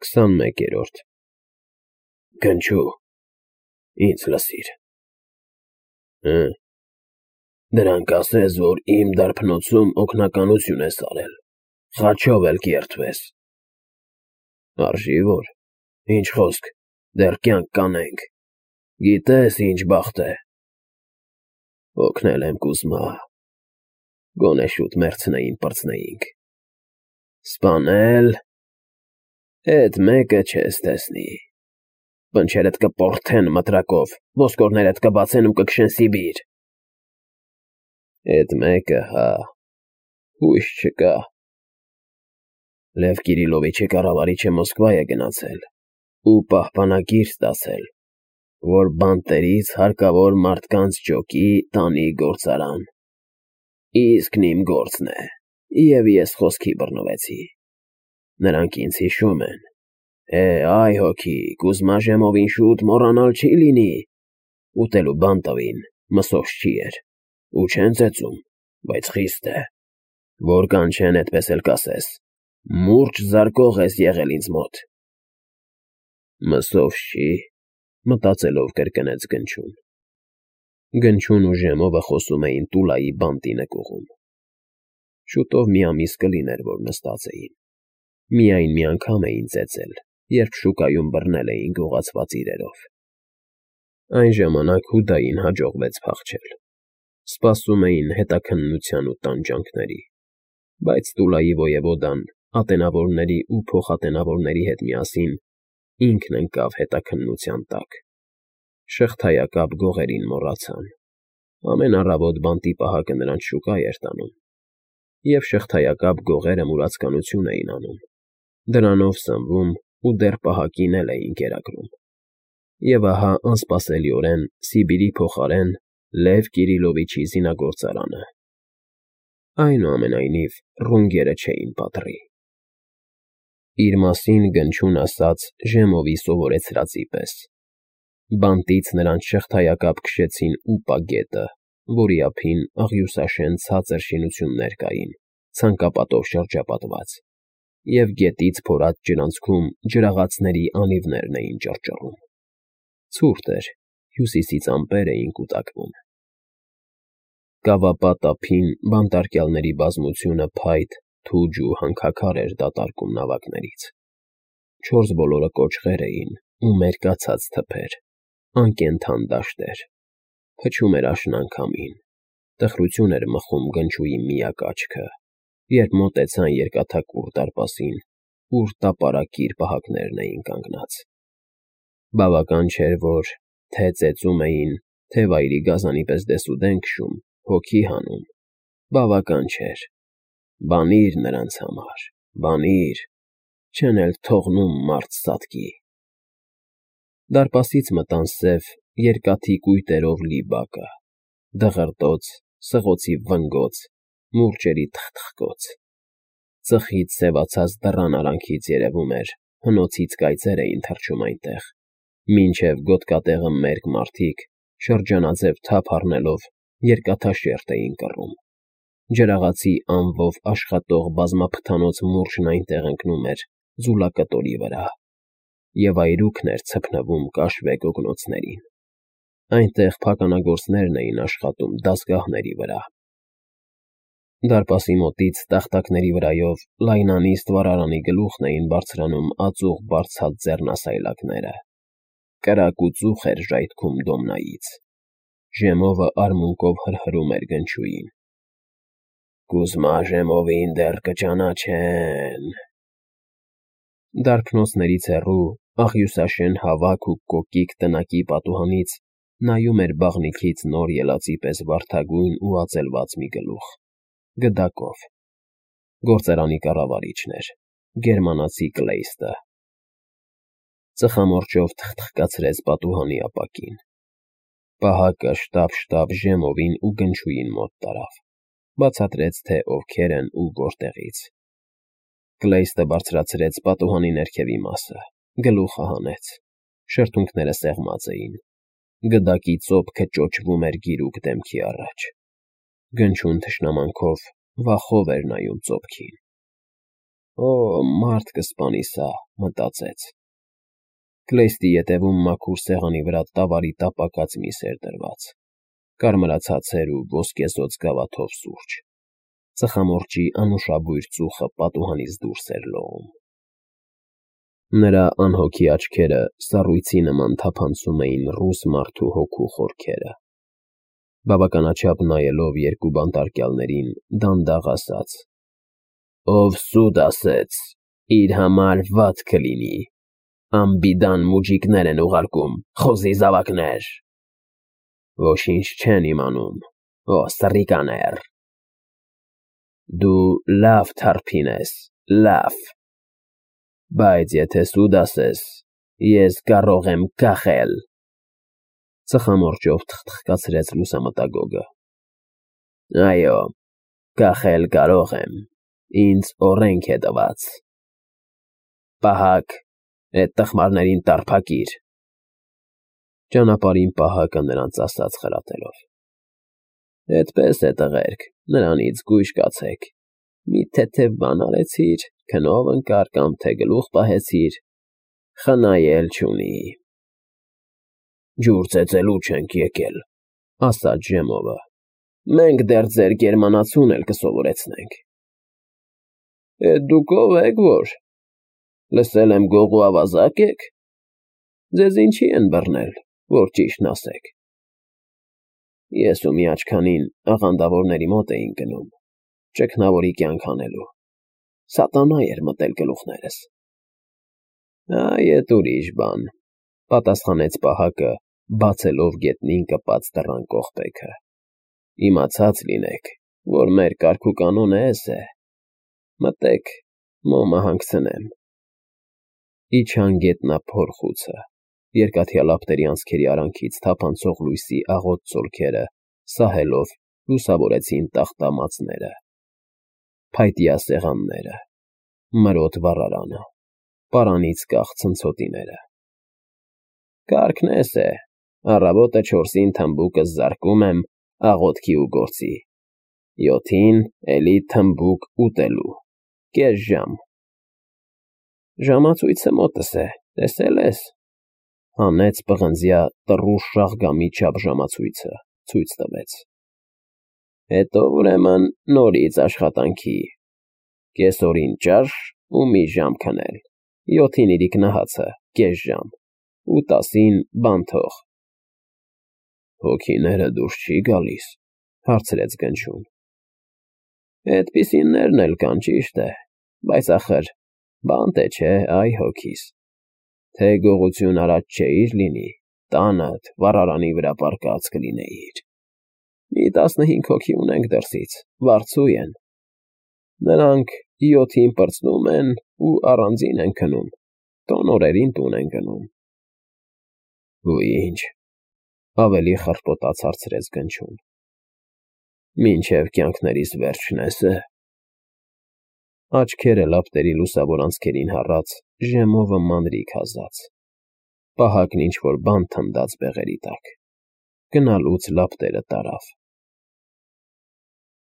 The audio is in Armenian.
21-րդ Գնչու, ինձ լսիր, դրանք ասես, որ իմ դարբնոցում օգնականություն ես արել, խաչով էլ կերտվես, արժի որ, ինչ խոսք, դեռ կյանք կանենք, գիտես ինչ բախտ է, օգնել եմ Կուզմա, գոնե շուտ մեռցնեին պրծնեինք, սպանել, էդ մեկը չես տեսնի, պնչերդ կպորթեն մտրակով, ոսկորներդ կբացեն ու կքշեն Սիբիր, էդ մեկը, հա, հույս չկա, Լև Կիրիլովիչը կառավարիչը Մոսկվա է գնացել ու պահպանագիր ստացել, որ բանտերից հարկավոր մարդկանց ջոկի տանի գործարան, իսկն իմ գործն է, և ես խոսքի բռնվեցի, նրանք ինձ հիշում են, այ հոգի, Կուզմա Ժեմովին շուտ մոռանալ չի լինի, ուտելու բան տվին, մսոս չի էր, ու չեն ծեծում, բայց խիստ է, որ կանչեն էդպես էլ կասես, մուրճ զարկող ես եղել ինձ մոտ, մսով չի, մտածելով կրկնեց Գնչուն, Գնչուն ու Ժեմովը խոսում էին Տուլայի բանտի նկուղում, շուտով մի ամիս կլիներ, որ նստած էին, միայն մի անգամ էին ծեծել, երբ շուկայում բռնել էին գողացված իրերով, այն ժամանակ Հուդային հաջողվեց փախչել, սպասում էին հետաքննության ու տանջանքների, բայց Տուլայի ոևոդան ատենավորների ու փոխատենավորների հետ միասին ինքն ընկավ հետաքննության տակ, շղթայակապ գողերին մոռացան, ամեն առավոտ բանտի պահակը նրանց շուկա էր տանում, և շղթայակապ գողերը մուրացկանություն էին անում, դրանով սնվում ու դեռ պահակին էլ էին կերակրում, և ահա անսպասելիորեն Սիբիրի փոխարեն Լև Կիրիլովիչի զինագործարանը, այնուամենայնիվ ռունգերը չէին պատռի, իր մասին Գնչուն ասաց Ժեմովի սովորեցրածի պես, բանտից նրանց շղթայակապ քշեցին Ուպա գետը, որի ափին աղյուսաշեն ցածր շինություններ կային, ցանկապատով շրջապատված, և գետից փորած ջրանցքում ջրաղացների անիվներն էին ճռճռում, ցուրտ էր, հյուսիսից ամպեր էին կուտակվում, կավապատ ափին բանտարկյալների բազմությունը փայտ, թուջ ու հանքաքար էր դատարկում նավակներից, չորս բոլորը կոճղեր էին ու մերկացած թփեր, անկենդան դաշտեր, փչում էր աշնան քամին, տխրություն էր մխում Գնչուի միակ աչքը, երբ մոտեցան երկաթակուռ դարպասին, ուր տապարակիր պահակներն էին կանգնած, բավական չէր, որ թե ծեծում էին, թե վայրի գազանի պես դեսուդեն քշում, հոգի հանում, բավական չէր, բանիր նրանց համար, բանիր, չեն էլ թողնում մարդ սատկի, դարպասից մտան սև, երկաթի կույտերով լի բակը, դղրդոց, սղոցի վնգոց, մուրճերի թխթխկոց, ծխից սևացած դռան արանքից երևում էր, հնոցից կայծեր էին թռչում այնտեղ, մինչև գոտկատեղը մերկ մարդիկ, շրջանաձև թափ առնելով, երկաթաշերտ էին կռում, ջրաղացի անվով աշխատող բազմափթանոց մուրճն այնտեղ ընկնում էր ձուլակտորի վրա, և այրուքն էր ցփնվում կաշվե գոգնոցներին, այնտեղ փականագործներն էին աշխատում դասգահների վրա, դարպասի մոտից տախտակների վրայով լայնանիստ վառարանի գլուխն էին բարձրանում ածուխ բարձած ձեռնասայլակները, կրակ ու ծուխ էր ժայթքում դոմնայից, Ժեմովը արմունկով հրհրում էր Գնչուին, Կուզմա Ժեմովին դեռ կճանաչեն, դարբնոցներից հեռու, աղյուսաշեն հավաք ու կոկիկ տնակի պատուհանից նայում էր բաղնիքից նոր ելածի պես վարդագույն ու ածելված մի գլուխ, գդակով, գործարանի կառավարիչն էր, գերմանացի Կլեյստը, ծխամորճով թխթխկացրեց պատուհանի ապակին, պահակը շտապ Ժեմովին ու Գնչուին մոտ տարավ, բացատրեց, թե ովքեր են ու որտեղից, Կլեյստը բարձրացրեց պատուհանի ներքևի մասը, գլուխը հանեց, շրթունքները սեղմած էին, գդակի ծոպքը ճոճվում էր գիրուկ դեմքի առաջ, Գնչուն թշնամանքով, վախով էր նայում ծոպքին, Օ, մարդ կսպանի սա, մտածեց։ Կլեյստի ետևում մաքուր սեղանի վրա տավարի տապակած միս էր դրված, կարմրացած էր ու ոսկեզօծ գավաթով սուրճ։ Ծխամորճի անուշաբույր ծուխը պատուհանից դուրս էր լողում։ Նրա անհոգի աչքերը սառույցի նման թափանցում էին ռուս մարդու հոգու խորքերը։ Բավականաչափ նայելով երկու բանտարկյալներին, դանդաղ ասաց. «Ով սուտ ասեց, իր համար վատ կլինի, անբիդան մուջիկներ են ուղարկում, խոզի զավակներ, ոչինչ չեն իմանում, օ սռիկաներ, դու լավ թարփին ես, լավ, բայց եթե սուտ ասես, ես կարող եմ կախել»։ Ծխամորճով թխթխկացրեց լուսամտագոգը։ Այո, կախել կարող եմ, ինձ օրենք է տված։ Պահակ, էդ տխմարներին տարփակիր։ Ճանապարհին պահակը նրանց ասաց խրատելով. Այդպես է, տղերք, նրանից գույշ կացեք, մի թեթև բան արեցիր, քնով ընկար կամ թե գլուխ պահեցիր, խնայել չունի։ Ջուր ծեծելու չենք եկել, ասաց Ժեմովը, մենք դեռ ձեր գերմանացուն էլ կսովորեցնենք։ Էդ դուք ով եք որ, լսել եմ գողու ավազակ եք, ձեզ ինչի են բռնել, որ ճիշտն ասեք։ Ես ու մի աչքանին աղանդավորների մոտ էինք գնում, ճգնավորի կյանք անելու, սատանա էր մտել գլուխներս։ Այդ ուրիշ բան, պատասխանեց պահակը, բացելով գետնին կպած դռան կողպեքը։ Իմացած լինեք, որ մեր կարգուկանոնը էս է։ Մտեք, մոմը հանգցնեմ։ Իջան գետնափոր խուցը, երկաթյա լապտերի անցքերի արանքից թափանցող լույսի աղոտ ծոլքերը սահելով լուսավորեցին տախտամածները, փայտյա սեղանները, մրոտ վառարանը, պարանից կախ ցնցոտիները։ Կարգն էս է, առավոտը 4-ին թմբուկս զարկում եմ աղոթքի ու գործի, 7-ին էլի թմբուկ ուտելու, կես ժամ։ Ժամացույցը մոտս է, տեսել ես, հանեց պղնձյա տռուշ շաղգամի չափ ժամացույցը, ցույց տվեց։ Հետո ուրեմն նորից աշխատանքի, կեսօրին ճաշ ու մի ժամ քնել, 7-ին իրիկնահացը, կես ժամ, ու 10-ին բանթող։ Հոգիները դուրս չի գալիս, հարցրեց Գնչուն։ Էդպիսիններն էլ կան, ճիշտ է, բայց ախր բանտ է, չէ, այ հոգիս, թե գողություն արած չէիր լինի, տանդ վառարանի վրա պառկած կլինեիր։ Մի 15 հոգի ունենք դրսից, վարձու են։ Նրանք 7-ին պրծնում են ու առանձին են քնում, տոնորերին տուն են գնում։ Ու ինչ, ավելի խռպոտաց հարցրեց Գնչուն։ Մինչև կյանքներիս վերջն էս է։ Աչքերը լապտերի լուսավոր անցքերին հառած, Ժեմովը մանրիկ հազաց։ Պահակն ինչ-որ բան թնդաց բեղերի տակ։ Գնալուց լապտերը տարավ։